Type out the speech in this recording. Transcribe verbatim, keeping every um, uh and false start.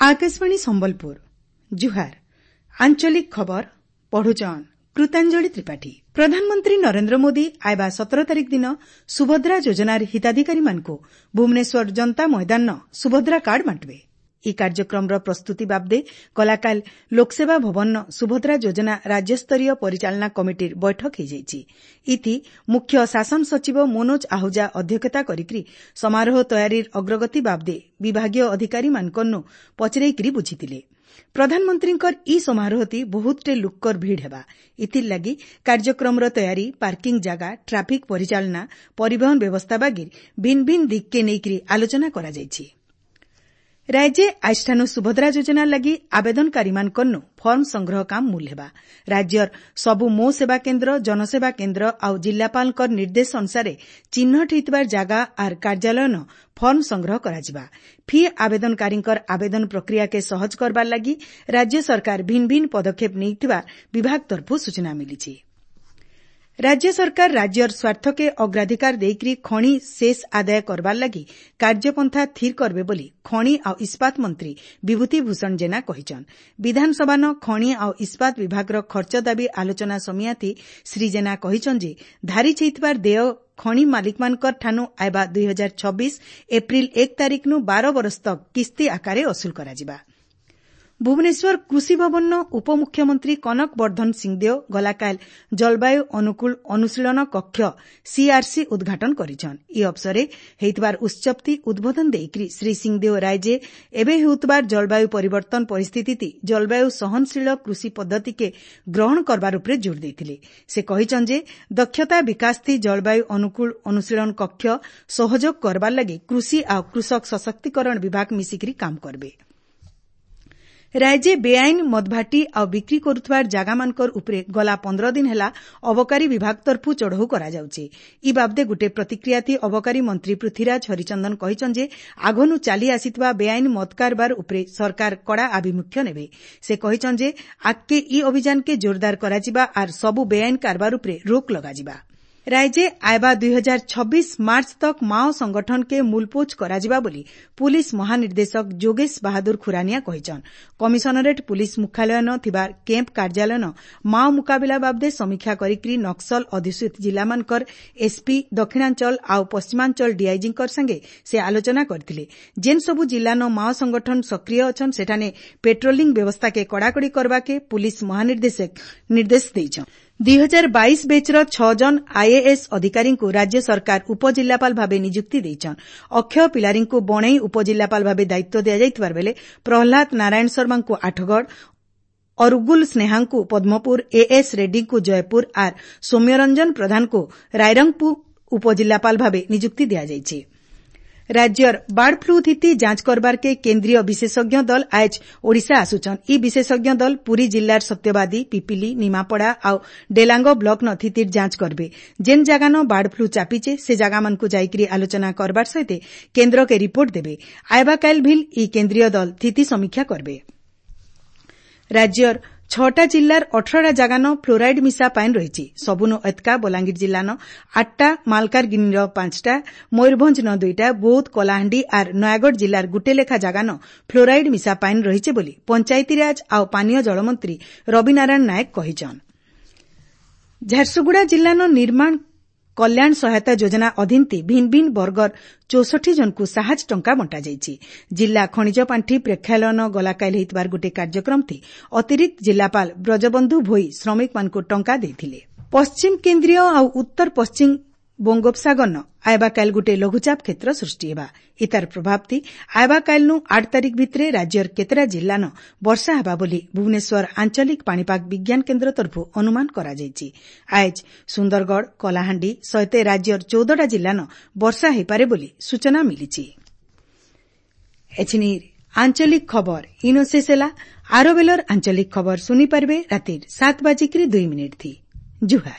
ଆକାଶବାଣୀ ସମ୍ବଲପୁର ଜୁହାର ଆଞ୍ଚଳିକ ଖବର ପଢୁଛନ୍ କୃତାଞ୍ଜଳି ତ୍ରିପାଠୀ ପ୍ରଧାନମନ୍ତ୍ରୀ ନରେନ୍ଦ୍ର ମୋଦି ଆଇବା ସତର ତାରିଖ ଦିନ ସୁଭଦ୍ରା ଯୋଜନାର ହିତାଧିକାରୀମାନଙ୍କୁ ଭୁବନେଶ୍ୱର ଜନତା ମଇଦାନନ ସୁଭଦ୍ରା କାର୍ଡ ବାଣ୍ଟବେ ଇ କାର୍ଯ୍ୟକ୍ରମର ପ୍ରସ୍ତୁତି ବାବଦେ ଗଲାକାଲି ଲୋକସେବା ଭବନନ ସୁଭଦ୍ରା ଯୋଜନା ରାଜ୍ୟସ୍ତରୀୟ ପରିଚାଳନା କମିଟିର ବୈଠକ ହୋଇଯାଇଛି ଇଥି ମୁଖ୍ୟ ଶାସନ ସଚିବ ମନୋଜ ଆହୁଜା ଅଧ୍ୟକ୍ଷତା କରିକି ସମାରୋହ ତୟାରୀର ଅଗ୍ରଗତି ବାବଦେ ବିଭାଗୀୟ ଅଧିକାରୀମାନଙ୍କନୁ ପଚରେଇକରି ବୁଝିଥିଲେ ପ୍ରଧାନମନ୍ତ୍ରୀଙ୍କର ଇ ସମାରୋହତି ବହୁତଟେ ଲୁକ୍କର ଭିଡ଼ ହେବା ଇଥିର୍ଲାଗି କାର୍ଯ୍ୟକ୍ରମର ତୟାରୀ ପାର୍କିଂ ଜାଗା ଟ୍ରାଫିକ୍ ପରିଚାଳନା ପରିବହନ ବ୍ୟବସ୍ଥା ବାଗିର୍ ଭିନ୍ ଭିନ୍ ଦିଗ୍କେ ନେଇକରି ଆଲୋଚନା କରାଯାଇଛି ରାଜ୍ୟେ ଆଜିଠାନୁ ସୁଭଦ୍ରା ଯୋଜନା ଲାଗି ଆବେଦନକାରୀମାନଙ୍କରନୁ ଫର୍ମ ସଂଗ୍ରହ କାମ ମୂଲ ହେବା ରାଜ୍ୟର ସବୁ ମୋ ସେବା କେନ୍ଦ୍ର ଜନସେବା କେନ୍ଦ୍ର ଆଉ ଜିଲ୍ଲାପାଳଙ୍କର ନିର୍ଦ୍ଦେଶ ଅନୁସାରେ ଚିହ୍ନଟ ହୋଇଥିବା ଜାଗା ଆର୍ କାର୍ଯ୍ୟାଳୟନ ଫର୍ମ ସଂଗ୍ରହ କରାଯିବା ଫି ଆବେଦନକାରୀଙ୍କର ଆବେଦନ ପ୍ରକ୍ରିୟାକେ ସହଜ କରବାର ଲାଗି ରାଜ୍ୟ ସରକାର ଭିନ୍ ଭିନ୍ ପଦକ୍ଷେପ ନେଇଥିବା ବିଭାଗ ତରଫରୁ ସୂଚନା ମିଳିଛି ରାଜ୍ୟ ସରକାର ରାଜ୍ୟର ସ୍ୱାର୍ଥକେ ଅଗ୍ରାଧିକାର ଦେଇକରି ଖଣି ସେସ୍ ଆଦାୟ କରବାର ଲାଗି କାର୍ଯ୍ୟପନ୍ଥା ଥିର୍ କରବେ ବୋଲି ଖଣି ଆଉ ଇସ୍ପାତ ମନ୍ତ୍ରୀ ବିଭୂତି ଭୂଷଣ ଜେନା କହିଛନ୍ ବିଧାନସଭାନ ଖଣି ଆଉ ଇସ୍ପାତ ବିଭାଗର ଖର୍ଚ୍ଚ ଦାବି ଆଲୋଚନା ସମିଆତି ଶ୍ରୀ ଜେନା କହିଛନ୍ ଯେ ଧାରିଚ୍ ହେଇଥିବାର ଦେୟ ଖଣି ମାଲିକମାନଙ୍କର ଠାନୁ ଆଇବା ଦୁଇ ହଜାର ଛବିଶ ଏପ୍ରିଲ ଏକ ତାରିଖନୁ ବାର ବରଷ ତକ୍ କିସ୍ତି ଆକାରେ ଅସୁଲ କରାଯିବା ଭୁବନେଶ୍ୱର କୃଷି ଭବନର ଉପମୁଖ୍ୟମନ୍ତ୍ରୀ କନକ ବର୍ଦ୍ଧନ ସିଂଦେଓ ଗଲାକାଲି ଜଳବାୟୁ ଅନୁକୂଳ ଅନୁଶୀଳନ କକ୍ଷ ସିଆର୍ସି ଉଦ୍ଘାଟନ କରିଛନ୍ ଇ ଅବସରେ ହେଇଥିବାର ଉତ୍ସବତି ଉଦ୍ବୋଧନ ଦେଇକରି ଶ୍ରୀ ସିଂଦେଓ ରାଜ୍ୟେ ଏବେ ହେଉଥିବାର ଜଳବାୟୁ ପରିବର୍ତ୍ତନ ପରିସ୍ଥିତି ଜଳବାୟୁ ସହନଶୀଳ କୃଷି ପଦ୍ଧତିକେ ଗ୍ରହଣ କରବାର ଉପରେ ଜୋର ଦେଇଥିଲେ ସେ କହିଛନ୍ ଯେ ଦକ୍ଷତା ବିକାଶ ଥି ଜଳବାୟୁ ଅନୁକୂଳ ଅନୁଶୀଳନ କକ୍ଷ ସହଯୋଗ କରବାର ଲାଗି କୃଷି ଆଉ କୃଷକ ସଶକ୍ତିକରଣ ବିଭାଗ ମିଶିକରି କାମ କରବେ ରାଜ୍ୟେ ବେଆଇନ ମଦଭାଟି ଆଉ ବିକ୍ରି କରୁଥିବାର ଜାଗାମାନଙ୍କର ଉପରେ ଗଲା ପନ୍ଦର ଦିନ ହେଲା ଅବକାରୀ ବିଭାଗ ତରଫରୁ ଚଢ଼ଉ କରାଯାଉଛି ଇ ବାବଦେ ଗୁଟେ ପ୍ରତିକ୍ରିୟାଥି ଅବକାରୀ ମନ୍ତ୍ରୀ ପୃଥ୍ୱୀରାଜ ହରିଚନ୍ଦନ କହିଛନ୍ ଯେ ଆଗନୁ ଚାଲି ଆସିଥିବା ବେଆଇନ ମଦ କାରବାର ଉପରେ ସରକାର କଡ଼ା ଆଭିମୁଖ୍ୟ ନେବେ ସେ କହିଛନ୍ ଯେ ଆଗକେ ଇ ଅଭିଯାନକେ ଜୋରଦାର କରାଯିବା ଆର୍ ସବୁ ବେଆଇନ କାରବାର ଉପରେ ରୋକ ଲଗାଯିବା ରାଜ୍ୟେ ଆଇବା ଦୁଇ ହଜାର ଛବିଶ ମାର୍ଚ୍ଚ ତକ୍ ମାଓ ସଂଗଠନକେ ମୂଲପୋଛ କରାଯିବା ବୋଲି ପୁଲିସ୍ ମହାନିର୍ଦ୍ଦେଶକ ଯୋଗେଶ ବାହାଦୁର ଖୁରାନିଆ କହିଛନ୍ କମିଶନରେଟ୍ ପୁଲିସ୍ ମୁଖ୍ୟାଳୟନ ଥିବା କ୍ୟାମ୍ପ କାର୍ଯ୍ୟାଳୟନ ମାଓ ମୁକାବିଲା ବାବଦେ ସମୀକ୍ଷା କରିକି ନକ୍ସଲ ଅଧ୍ୟୁଷିତ ଜିଲ୍ଲାମାନଙ୍କର ଏସ୍ପି ଦକ୍ଷିଣାଞ୍ଚଳ ଆଉ ପଶ୍ଚିମାଞ୍ଚଳ ଡିଆଇଜିଙ୍କର ସାଙ୍ଗେ ସେ ଆଲୋଚନା କରିଥିଲେ ଯେନ୍ ସବୁ ଜିଲ୍ଲାନ ମାଓ ସଂଗଠନ ସକ୍ରିୟ ଅଛନ୍ ସେଠାନେ ପେଟ୍ରୋଲିଂ ବ୍ୟବସ୍ଥାକେ କଡ଼ାକଡ଼ି କରବାକେ ପୁଲିସ୍ ମହାନିର୍ଦ୍ଦେଶକ ନିର୍ଦ୍ଦେଶ ଦେଇଛନ୍ ଦୁଇ ହଜାର ବାଇଶ ବେଚ୍ର ଛଅ ଜଣ ଆଇଏଏସ୍ ଅଧିକାରୀଙ୍କୁ ରାଜ୍ୟ ସରକାର ଉପଜିଲ୍ଲାପାଳ ଭାବେ ନିଯୁକ୍ତି ଦେଇଛନ୍ ଅକ୍ଷୟ ପିଲାରୀଙ୍କୁ ବଣେଇ ଉପଜିଲ୍ଲାପାଳ ଭାବେ ଦାୟିତ୍ୱ ଦିଆଯାଇଥିବା ବେଳେ ପ୍ରହ୍ଲାଦ ନାରାୟଣ ଶର୍ମାଙ୍କୁ ଆଠଗଡ଼ ଅରୁଗୁଲ ସ୍ନେହାଙ୍କୁ ପଦ୍ମପୁର ଏଏସ୍ ରେଡ୍ଡୀଙ୍କୁ ଜୟପୁର ଆର୍ ସୌମ୍ୟରଞ୍ଜନ ପ୍ରଧାନଙ୍କୁ ରାଇରଙ୍ଗପୁର ଉପଜିଲ୍ଲାପାଳ ଭାବେ ନିଯୁକ୍ତି ଦିଆଯାଇଛି ରାଜ୍ୟର ବାର୍ଡ ଫ୍ଲୁ ଥିତି ଯାଞ୍ଚ କରବାରକେ କେନ୍ଦ୍ରୀୟ ବିଶେଷଜ୍ଞ ଦଳ ଆଏଜ୍ ଓଡ଼ିଶା ଆସୁଛନ୍ ଇ ବିଶେଷଜ୍ଞ ଦଳ ପୁରୀ ଜିଲ୍ଲାର ସତ୍ୟବାଦୀ ପିପିଲି ନିମାପଡ଼ା ଆଉ ଡେଲାଙ୍ଗ ବ୍ଲକନ ଥିତିର ଯାଞ୍ଚ କରବେ ଯେନ୍ ଜାଗାନ ବାର୍ଡ ଫ୍ଲୁ ଚାପିଛେ ସେ ଜାଗାମାନଙ୍କୁ ଯାଇକରି ଆଲୋଚନା କରବାର ସହିତ କେନ୍ଦ୍ରକେ ରିପୋର୍ଟ ଦେବେ ଆଇବା କାଇଲ୍ ଭିଲ୍ ଇ କେନ୍ଦ୍ରୀୟ ଦଳ ଥିତି ସମୀକ୍ଷା କରବେ ରାଜ୍ୟର ଛଅଟା ଜିଲ୍ଲାର ଅଠରଟା ଜାଗାନ ଫ୍ଲୋରାଇଡ୍ ମିଶା ପାଏନ୍ ରହିଛି ସବୁନୁ ଏତ୍କା ବଲାଙ୍ଗୀର ଜିଲ୍ଲାନ ଆଠଟା ମାଲକାନଗିରିର ପାଞ୍ଚଟା ମୟୂରଭଞ୍ଜନ ଦୁଇଟା ବୌଦ୍ଧ କଳାହାଣ୍ଡି ଆର୍ ନୟାଗଡ଼ ଜିଲ୍ଲାର ଗୁଟେ ଲେଖା ଜାଗାନ ଫ୍ଲୋରାଇଡ୍ ମିଶା ପାଏନ୍ ରହିଛି ବୋଲି ପଞ୍ଚାୟତିରାଜ ଆଉ ପାନୀୟ ଜଳମନ୍ତ୍ରୀ ରବିନାରାୟଣ ନାୟକ କହିଛନ୍ ଝାରସୁଗୁଡ଼ା ଜିଲ୍ଲାନ ନିର୍ମାଣ କଲ୍ୟାଣ ସହାୟତା ଯୋଜନା ଅଧୀନତି ଭିନ୍ ଭିନ୍ ବର୍ଗର ଚଉଷଠି ଜଣଙ୍କୁ ସାହାଯ୍ୟ ଟଙ୍କା ବଣ୍ଟାଯାଇଛି ଜିଲ୍ଲା ଖଣିଜ ପାଣ୍ଠି ପ୍ରେକ୍ଷାଳୟନ ଗଲାକାଲି ହୋଇଥିବାର ଗୋଟିଏ କାର୍ଯ୍ୟକ୍ରମଥି ଅତିରିକ୍ତ ଜିଲ୍ଲାପାଳ ବ୍ରଜବନ୍ଧୁ ଭୋଇ ଶ୍ରମିକମାନଙ୍କୁ ଟଙ୍କା ଦେଇଥିଲେ ପଶ୍ଚିମ କେନ୍ଦ୍ରୀୟ ଆଉ ଉତ୍ତର ପଶ୍ଚିମ ବଙ୍ଗୋପସାଗରନ ଆଇବା କାଲି ଗୋଟିଏ ଲଘୁଚାପ କ୍ଷେତ୍ର ସୃଷ୍ଟି ହେବା ଇତାର ପ୍ରଭାବଥି ଆଇବା କାଲିନୁ ଆଠ ତାରିଖ ଭିତରେ ରାଜ୍ୟର କେତେଟା ଜିଲ୍ଲାନ ବର୍ଷା ହେବା ବୋଲି ଭୁବନେଶ୍ୱର ଆଞ୍ଚଳିକ ପାଣିପାଗ ବିଜ୍ଞାନ କେନ୍ଦ୍ର ତରଫରୁ ଅନୁମାନ କରାଯାଇଛି ଆଏଜ୍ ସୁନ୍ଦରଗଡ଼ କଳାହାଣ୍ଡି ସହିତ ରାଜ୍ୟର ଚଉଦଟା ଜିଲ୍ଲାନ ବର୍ଷା ହୋଇପାରେ ବୋଲି ସୂଚନା ମିଳିଛି ଏଛିନିର ଆଞ୍ଚଳିକ ଖବର ଇନୋ ଶେଷ ହେଲା ଆର ବେଲର ଆଞ୍ଚଳିକ ଖବର ଶୁଣିପାରିବେ ରାତିର ସାତ ବାଜିକିରି ଦୁଇ ମିନିଟ୍ ଥି ଜୁହାର